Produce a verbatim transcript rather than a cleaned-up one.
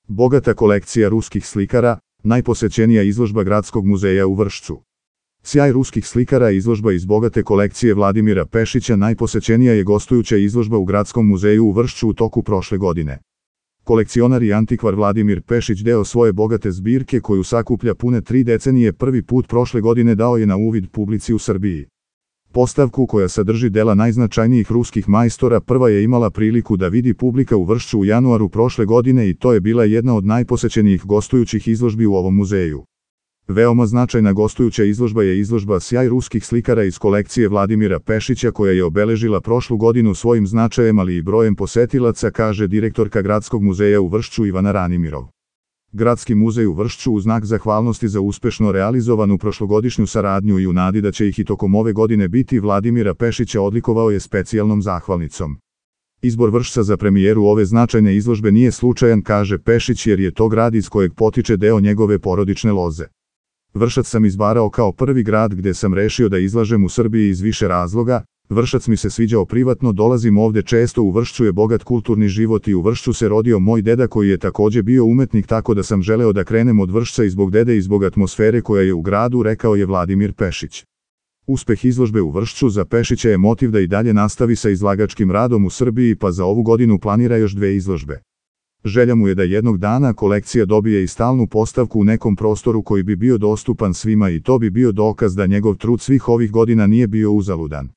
Bogata kolekcija ruskih slikara, najposećenija izložba Gradskog muzeja u Vršcu. Sjaj ruskih slikara izložba iz bogate kolekcije Vladimira Pešića najposećenija je gostujuća izložba u Gradskom muzeju u Vršcu u toku prošle godine. Kolekcionar i antikvar Vladimir Pešić deo svoje bogate zbirke koju sakuplja pune tri decenije prvi put prošle godine dao je na uvid publici u Srbiji. Postavku koja sadrži dela najznačajnijih ruskih majstora prva je imala priliku da vidi publika u Vršcu u januaru prošle godine i to je bila jedna od najposećenijih gostujućih izložbi u ovom muzeju. Veoma značajna gostujuća izložba je izložba Sjaj ruskih slikara iz kolekcije Vladimira Pešića koja je obeležila prošlu godinu svojim značajem ali i brojem posetilaca, kaže direktorka Gradskog muzeja u Vršcu Ivana Ranimirov. Gradski muzej u Vršcu u znak zahvalnosti za uspešno realizovanu prošlogodišnju saradnju i u nadi da će ih i tokom ove godine biti Vladimira Pešića odlikovao je specijalnom zahvalnicom. Izbor Vršca za premijeru ove značajne izložbe nije slučajan, kaže Pešić, jer je to grad iz kojeg potiče deo njegove porodične loze. Vršac sam izbarao kao prvi grad gde sam rešio da izlažem u Srbiji iz više razloga. Vršac mi se sviđao privatno, dolazim ovde često, u Vršcu je bogat kulturni život i u Vršcu se rodio moj deda koji je takođe bio umetnik, tako da sam želeo da krenem od Vršca i zbog dede i zbog atmosfere koja je u gradu, rekao je Vladimir Pešić. Uspeh izložbe u Vršcu za Pešića je motiv da i dalje nastavi sa izlagačkim radom u Srbiji, pa za ovu godinu planira još dve izložbe. Želja mu je da jednog dana kolekcija dobije i stalnu postavku u nekom prostoru koji bi bio dostupan svima i to bi bio dokaz da njegov trud svih ovih godina nije bio uzaludan.